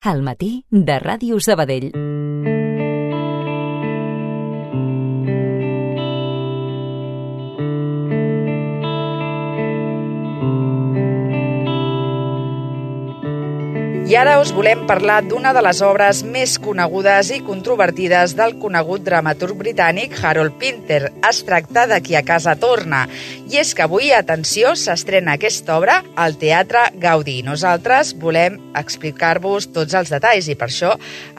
Al matí de Ràdio Sabadell. I ara us volem parlar d'una de les obres més conegudes i controvertides del conegut dramaturg britànic Harold Pinter. Es tracta de Qui a casa torna. I és que avui, atenció, s'estrena aquesta obra al Teatre Gaudí. Nosaltres volem explicar-vos tots els detalls i per això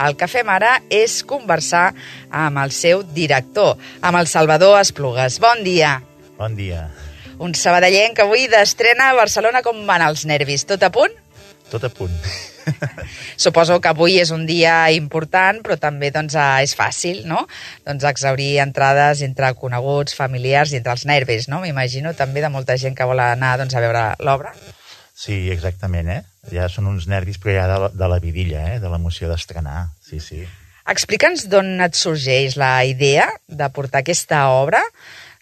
el que fem ara és conversar amb el seu director, amb el Salvador Esplugues. Bon dia. Bon dia. Un sabadellenc avui d'estrena a Barcelona. Com van els nervis? Tot a punt? Tot a punt. Suposo que avui és un dia important, però també és fàcil, no? Exhaurir entrades entre coneguts, familiars i entre els nervis, no? M'imagino també de molta gent que vol anar a veure l'obra. Sí, exactament, Ja són uns nervis, però ja de la vidilla, de l'emoció d'estrenar, sí. Explica'ns d'on et sorgeix la idea de portar aquesta obra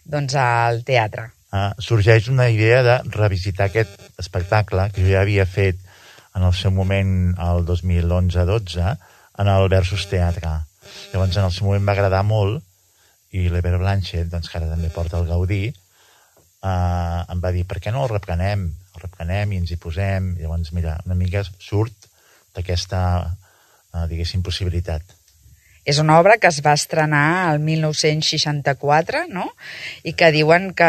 al teatre. Sorgeix una idea de revisitar aquest espectacle que jo ja havia fet en el seu moment, el 2011-12, en el Versus Teatre. Llavors, en el seu moment va agradar molt, i l'Eber Blanchett, que ara també porta el Gaudí, em va dir, per què no el reprenem? El reprenem i ens hi posem. Llavors, mira, una mica surt d'aquesta, diguéssim, possibilitat. És una obra que es va estrenar el 1964, no? I que diuen que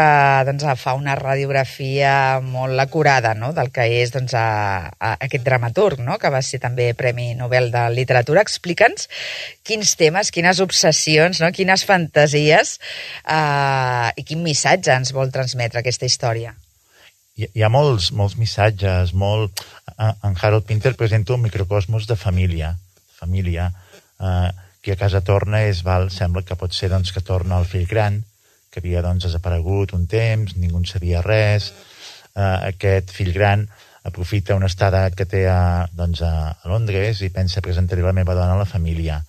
fa una radiografia molt acurada, no? Del que és aquest dramaturg, no? Que va ser també Premi Nobel de Literatura. Explica'ns quins temes, quines obsessions, no? Quines fantasies i quin missatge ens vol transmetre aquesta història. Hi ha molts missatges, En Harold Pinter presenta un microcosmos de família. Qui a casa torna sembla que pot ser que torna el fill gran, que havia desaparegut un temps, ningú en sabia res. Aquest fill gran aprofita una estada que té a Londres i pensa presentar-hi la meva dona a la família.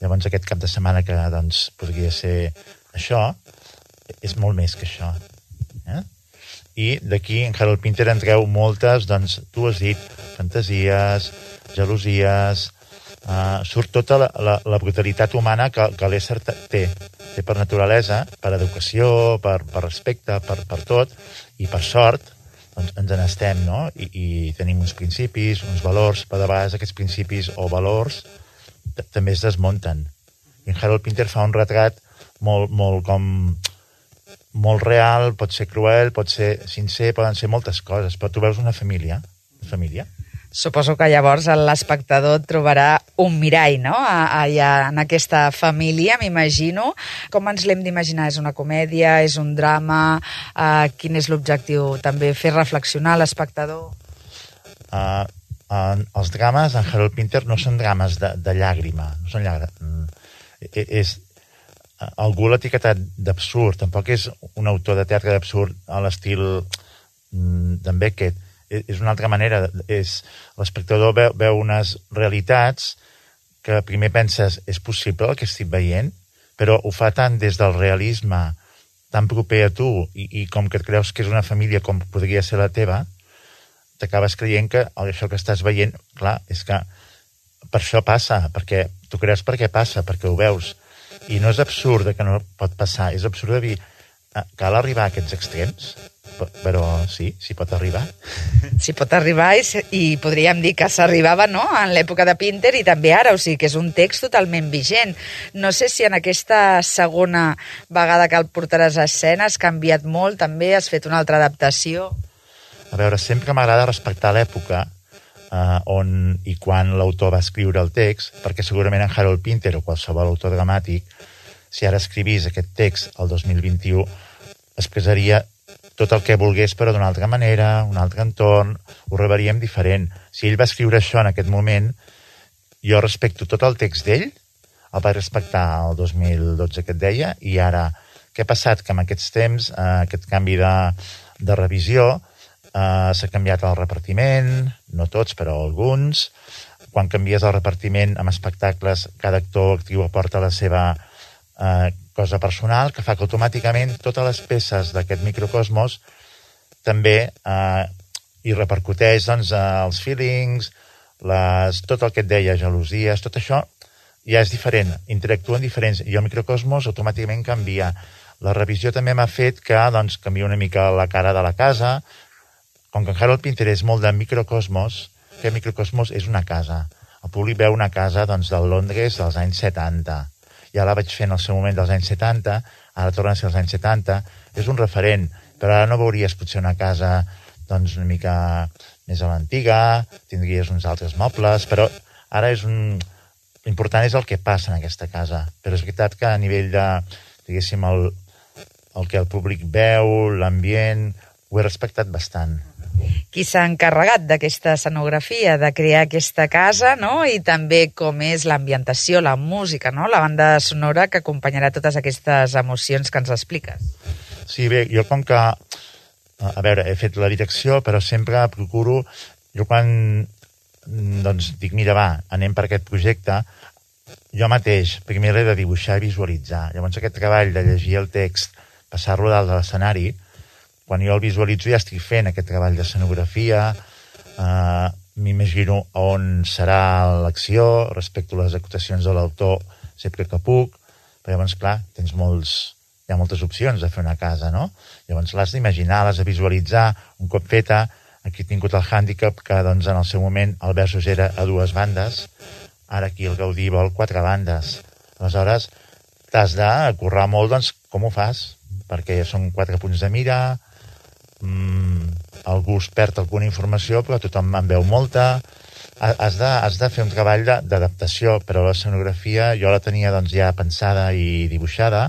Llavors aquest cap de setmana que podria ser això, és molt més que això. I d'aquí en Harold Pinter en treu moltes, tu has dit, fantasies, gelosies. Surt tota la brutalitat humana que l'ésser té per naturalesa, per educació, per respecte, per tot, i per sort ens n'estem, no? I tenim uns principis, uns valors, però de vegades aquests principis o valors també es desmunten. I en Harold Pinter fa un retrat molt real, pot ser cruel, pot ser sincer, poden ser moltes coses, però tu veus una família. Suposo que llavors l'espectador trobarà un mirall, no?, allà en aquesta família, m'imagino. Com ens l'hem d'imaginar? És una comèdia? És un drama? Quin és l'objectiu? També fer reflexionar l'espectador? Els drames en Harold Pinter no són drames de llàgrima. No són llàgrimes. Algú l'ha etiquetat d'absurd. Tampoc és un autor de teatre d'absurd a l'estil d'en Beckett. És una altra manera. L'espectador veu unes realitats que primer penses, és possible el que estic veient, però ho fa tant des del realisme, tan proper a tu, i com que et creus que és una família com podria ser la teva, t'acabes creient que això que estàs veient, clar, és que per això passa, perquè tu creus per què passa, perquè ho veus. I no és absurd que no pot passar, és absurd de dir, cal arribar a aquests extrems? Però sí, s'hi pot arribar. S'hi pot arribar i podríem dir que s'arribava, no?, en l'època de Pinter i també ara, o sigui que és un text totalment vigent. No sé si en aquesta segona vegada que el portaràs a escena has canviat molt, també has fet una altra adaptació. A veure, sempre m'agrada respectar l'època on i quan l'autor va escriure el text, perquè segurament en Harold Pinter o qualsevol autor dramàtic, si ara escrivís aquest text el 2021, expressaria tot el que volgués, però d'una altra manera, un altre entorn, ho rebaríem diferent. Si ell va escriure això en aquest moment, jo respecto tot el text d'ell, el vaig respectar el 2012 que et deia, i ara, què ha passat? Que en aquests temps, aquest canvi de revisió, s'ha canviat el repartiment, no tots, però alguns. Quan canvies el repartiment amb espectacles, cada actor o actriu aporta la seva cosa personal, que fa que automàticament totes les peces d'aquest microcosmos també hi repercuteix els feelings, tot el que et deia, gelosies, tot això ja és diferent, interactuen diferents, i el microcosmos automàticament canvia. La revisió també m'ha fet que doncs, canvia una mica la cara de la casa. Com que en Harold Pinter és molt de microcosmos, aquest microcosmos és una casa. El públic veu una casa doncs, del Londres dels anys 70. Ja la vaig fer en el seu moment dels anys 70, ara torna a ser els anys 70. És un referent, però ara no veuries potser una casa doncs, una mica més a l'antiga, tindries uns altres mobles, però ara l'important és el que passa en aquesta casa. Però és veritat que a nivell de, diguéssim, el que el públic veu, l'ambient, ho he respectat bastant. Qui s'ha encarregat d'aquesta escenografia, de crear aquesta casa, no? I també com és l'ambientació, la música, no? La banda sonora que acompanyarà totes aquestes emocions que ens expliques. Sí, bé, jo com que, a veure, he fet la direcció, però sempre procuro, jo quan doncs dic, mira, va, anem per aquest projecte, jo mateix primer l'he de dibuixar i visualitzar. Llavors aquest treball de llegir el text, passar-lo dalt de l'escenari, quan jo el visualitzo ja estic fent aquest treball d'escenografia, m'imagino on serà l'acció, respecto a les acotacions de l'autor sempre que puc, però llavors, clar, hi ha moltes opcions de fer una casa, no? Llavors l'has d'imaginar, l'has de visualitzar, un cop feta, aquí he tingut el hàndicap que doncs, en el seu moment el Versus era a 2 bandes, ara aquí el Gaudí vol 4 bandes. Aleshores, t'has de currar molt, doncs, com ho fas? Perquè són 4 punts de mira, algú es perd alguna informació, però tothom en veu molta. Has de fer un treball d'adaptació, però l'escenografia jo la tenia doncs, ja pensada i dibuixada,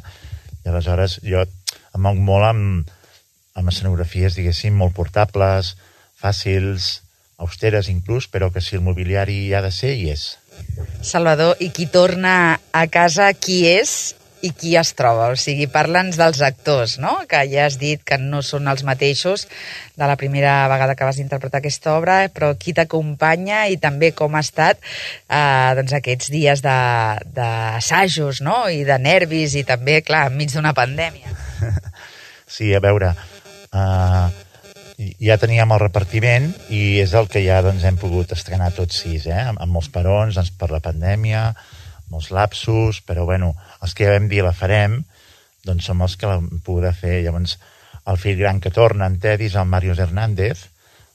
i aleshores jo em moc molt amb escenografies, diguéssim, molt portables, fàcils, austeres inclús, però que si el mobiliari hi ha de ser, hi és. Salvador, i qui torna a casa, qui és i qui es troba? O sigui, parla'ns dels actors, no? Que ja has dit que no són els mateixos de la primera vegada que vas interpretar aquesta obra, però qui t'acompanya i també com ha estat doncs aquests dies d'assajos, no? I de nervis i també, clar, enmig d'una pandèmia. Sí, a veure, ja teníem el repartiment i és el que ja doncs, hem pogut estrenar tots 6, amb molts parons doncs, per la pandèmia, molts lapsus, però bueno, els que ja vam dir la farem, doncs som els que l'hem pogut fer. Llavors, el fill gran que torna, en Teddy, és el Màrius Hernández,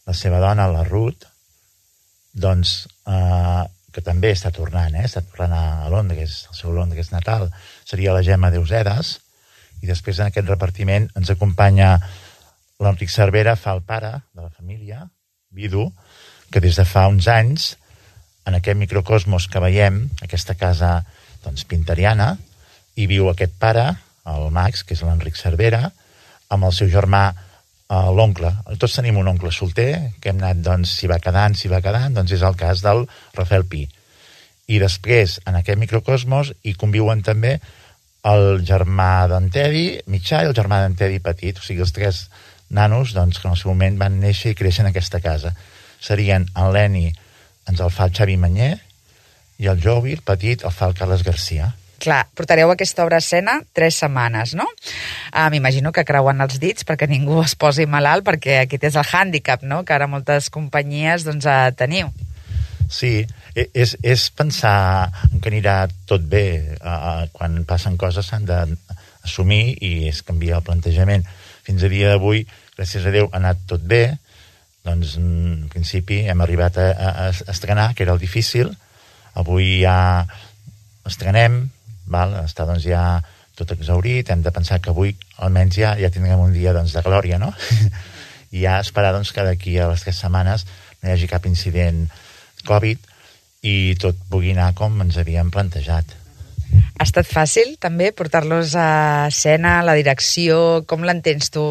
la seva dona, la Ruth, doncs, que també està tornant, està tornant a Londres, el seu Londres natal, seria la Gemma Deusedas, i després en aquest repartiment ens acompanya l'Enric Cervera, fa el pare de la família, vidu, que des de fa uns anys en aquest microcosmos que veiem, aquesta casa doncs, pinteriana, hi viu aquest pare, el Max, que és l'Enric Cervera, amb el seu germà, l'oncle. Tots tenim un oncle solter, que hem anat, doncs, si va quedant, doncs és el cas del Rafael Pi. I després, en aquest microcosmos, hi conviuen també el germà d'en Teddy, mitjà, i el germà d'en Teddy petit, o sigui, els 3 nanos doncs, que en el seu moment van néixer i créixer en aquesta casa. Serien en Leni, ens el fa el Xavi Manyer, i el Jovi, el petit, el fa el Carles Garcia. Clar, portareu aquesta obra a escena 3 setmanes, no? M'imagino que creuen els dits perquè ningú es posi malalt, perquè aquest és el hàndicap, no?, que ara moltes companyies doncs, teniu. Sí, és pensar que anirà tot bé. Quan passen coses s'han d'assumir i es canvia el plantejament. Fins a dia d'avui, gràcies a Déu, ha anat tot bé. Doncs, en principi, hem arribat a estrenar, que era el difícil. Avui ja estrenem, està doncs ja tot exhaurit, hem de pensar que avui almenys ja tindrem un dia doncs, de glòria, no? I ja esperar doncs, que d'aquí a les 3 setmanes no hi hagi cap incident Covid i tot pugui anar com ens havíem plantejat. Ha estat fàcil, també, portar-los a escena, la direcció, com l'entens tu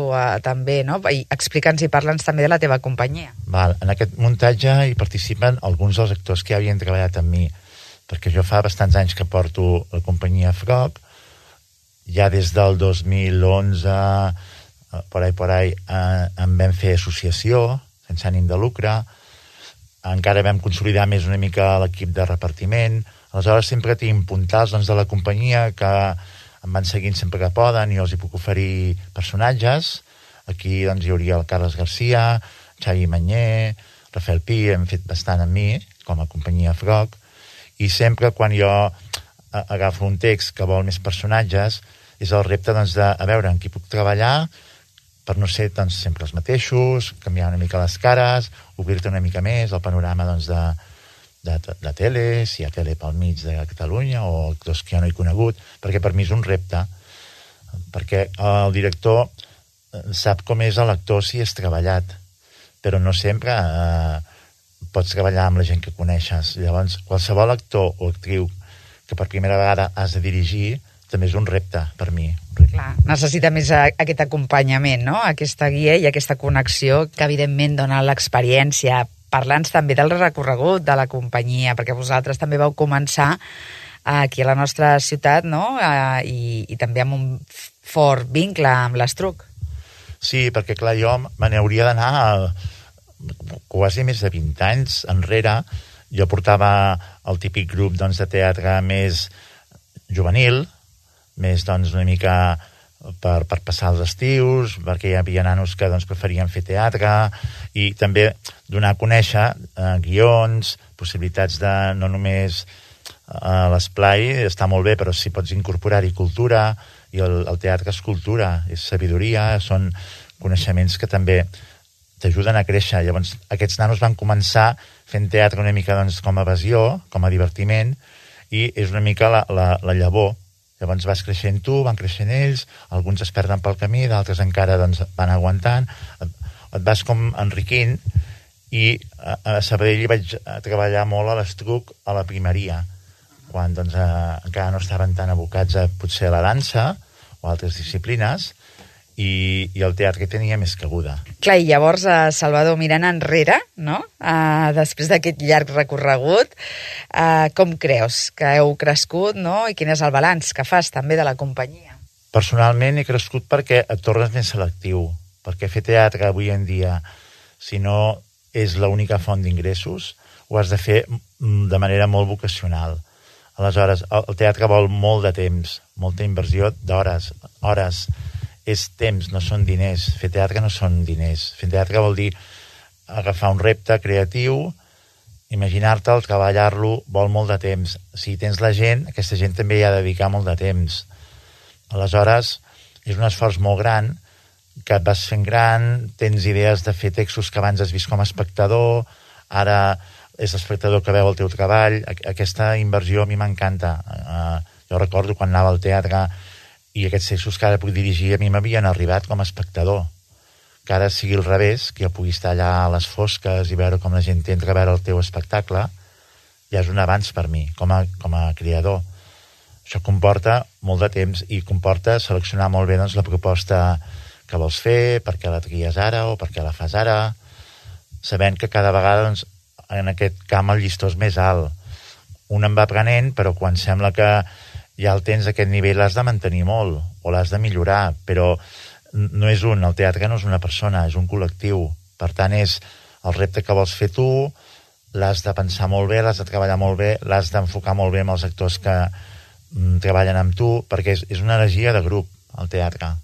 també, no? I explica'ns i parla'ns també de la teva companyia. En aquest muntatge hi participen alguns dels actors que ja havien treballat amb mi, perquè jo fa bastants anys que porto la companyia Frog, ja des del 2011, por ahí, en vam fer associació, sense ànim de lucre, encara vam consolidar més una mica l'equip de repartiment. Aleshores sempre tinc puntals doncs, de la companyia que em van seguint sempre que poden i els hi puc oferir personatges. Aquí doncs, hi hauria el Carles Garcia, Xavi Manyer, Rafael Pi, hem fet bastant amb mi, com a companyia Frog, i sempre quan jo agafo un text que vol més personatges, és el repte doncs, de a veure en qui puc treballar per no ser doncs, sempre els mateixos, canviar una mica les cares, obrir-te una mica més el panorama doncs, de tele, si hi ha tele pel mig de Catalunya o actors que jo no he conegut, perquè per mi és un repte, perquè el director sap com és l'actor si és treballat, però no sempre pots treballar amb la gent que coneixes. Llavors, qualsevol actor o actriu que per primera vegada has de dirigir també és un repte per mi. Clar, necessita més aquest acompanyament, no? Aquesta guia i aquesta connexió que evidentment dona l'experiència. Parla'ns també del recorregut de la companyia, perquè vosaltres també vau començar aquí a la nostra ciutat, no? I també amb un fort vincle amb l'Estruc. Sí, perquè clar, jo me n'hauria d'anar quasi més de 20 anys enrere. Jo portava el típic grup doncs, de teatre més juvenil, més doncs, una mica per passar els estius, perquè hi havia nanos que doncs, preferien fer teatre, i també donar a conèixer guions, possibilitats de no només l'esplai, està molt bé, però si pots incorporar-hi cultura, i el teatre és cultura, és sabidoria, són coneixements que també t'ajuden a créixer. Llavors, aquests nanos van començar fent teatre una mica doncs, com a evasió, com a divertiment, i és una mica la llavor. Llavors vas creixent tu, van creixent ells, alguns es perden pel camí, d'altres encara doncs, van aguantant, et vas com enriquint, i a Sabadell hi vaig treballar molt a l'Estruc a la primeria, quan doncs, encara no estaven tan abocats a potser a la dansa o altres disciplines, i el teatre tenia més cabuda. Clar, i llavors, Salvador, mirant enrere, no? Després d'aquest llarg recorregut, com creus que heu crescut, no? I quin és el balanç que fas també de la companyia? Personalment he crescut perquè et tornes més selectiu, perquè fer teatre avui en dia, si no és l'única font d'ingressos, ho has de fer de manera molt vocacional. Aleshores, el teatre vol molt de temps, molta inversió d'hores, hores. És temps, no són diners. Fer teatre no són diners. Fer teatre vol dir agafar un repte creatiu, imaginar-te'l, treballar-lo, vol molt de temps. Si tens la gent, aquesta gent també hi ha de dedicar molt de temps. Aleshores, és un esforç molt gran, que et vas fent gran, tens idees de fer textos que abans has vist com a espectador, ara és l'espectador que veu el teu treball. Aquesta inversió a mi m'encanta. Jo recordo quan anava al teatre i aquests textos que ara puc dirigir a mi m'havien arribat com a espectador. Que ara sigui al revés, que jo pugui estar allà a les fosques i veure com la gent entra a veure el teu espectacle, ja és un avanç per mi, com a creador. Això comporta molt de temps i comporta seleccionar molt bé doncs, la proposta que vols fer, per què la tries ara o per què la fas ara, sabent que cada vegada doncs, en aquest camp el llistó és més alt. Un en va aprenent, però quan sembla que ja el tens a aquest nivell l'has de mantenir molt o l'has de millorar, però no és un, el teatre no és una persona, és un col·lectiu. Per tant, és el repte que vols fer tu, l'has de pensar molt bé, l'has de treballar molt bé, l'has d'enfocar molt bé amb els actors que treballen amb tu, perquè és una energia de grup, el teatre.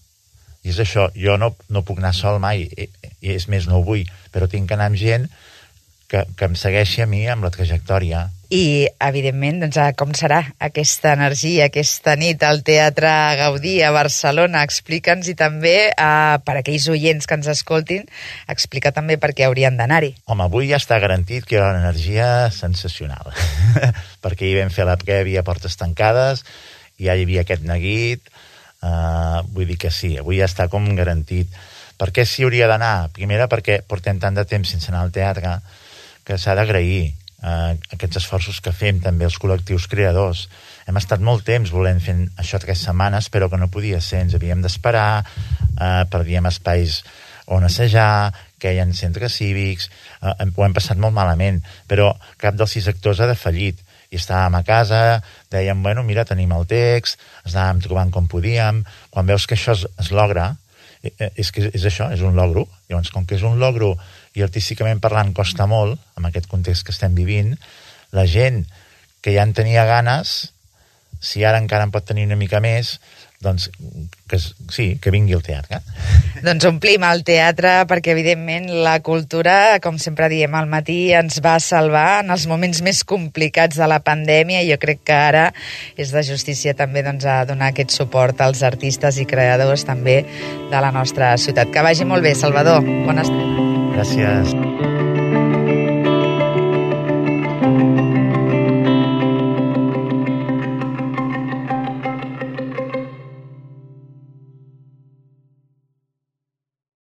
I és això, jo no puc anar sol mai, i és més, no ho vull, però tinc que anar amb gent que em segueixi a mi amb la trajectòria. I, evidentment, doncs, com serà aquesta energia, aquesta nit al Teatre Gaudí a Barcelona? Explica'ns, i també, per aquells oients que ens escoltin, explica també per què haurien d'anar-hi. Home, avui ja està garantit que hi ha una energia sensacional, perquè hi vam fer la prèvia a portes tancades, i ja hi havia aquest neguit, vull dir que sí, avui ja està com garantit. Per què s'hi hauria d'anar? Primera, perquè portem tant de temps sense anar al teatre que s'ha d'agrair aquests esforços que fem també els col·lectius creadors. Hem estat molt temps volent fer això 3 setmanes, però que no podia ser, ens havíem d'esperar, perdíem espais on assajar, queien centres cívics, ho hem passat molt malament, però cap dels 6 actors ha defallit, i estàvem a casa, dèiem, bueno, mira, tenim el text, ens anàvem trobant com podíem. Quan veus que això es logra, és que és això, és un logro. Llavors, com que és un logro i artísticament parlant costa molt, amb aquest context que estem vivint, la gent que ja en tenia ganes, si ara encara en pot tenir una mica més, doncs que vingui al teatre. Doncs omplim el teatre perquè, evidentment, la cultura, com sempre diem al matí, ens va salvar en els moments més complicats de la pandèmia, i jo crec que ara és de justícia també doncs, a donar aquest suport als artistes i creadors també de la nostra ciutat. Que vagi molt bé, Salvador. Bona estrena. Gràcies.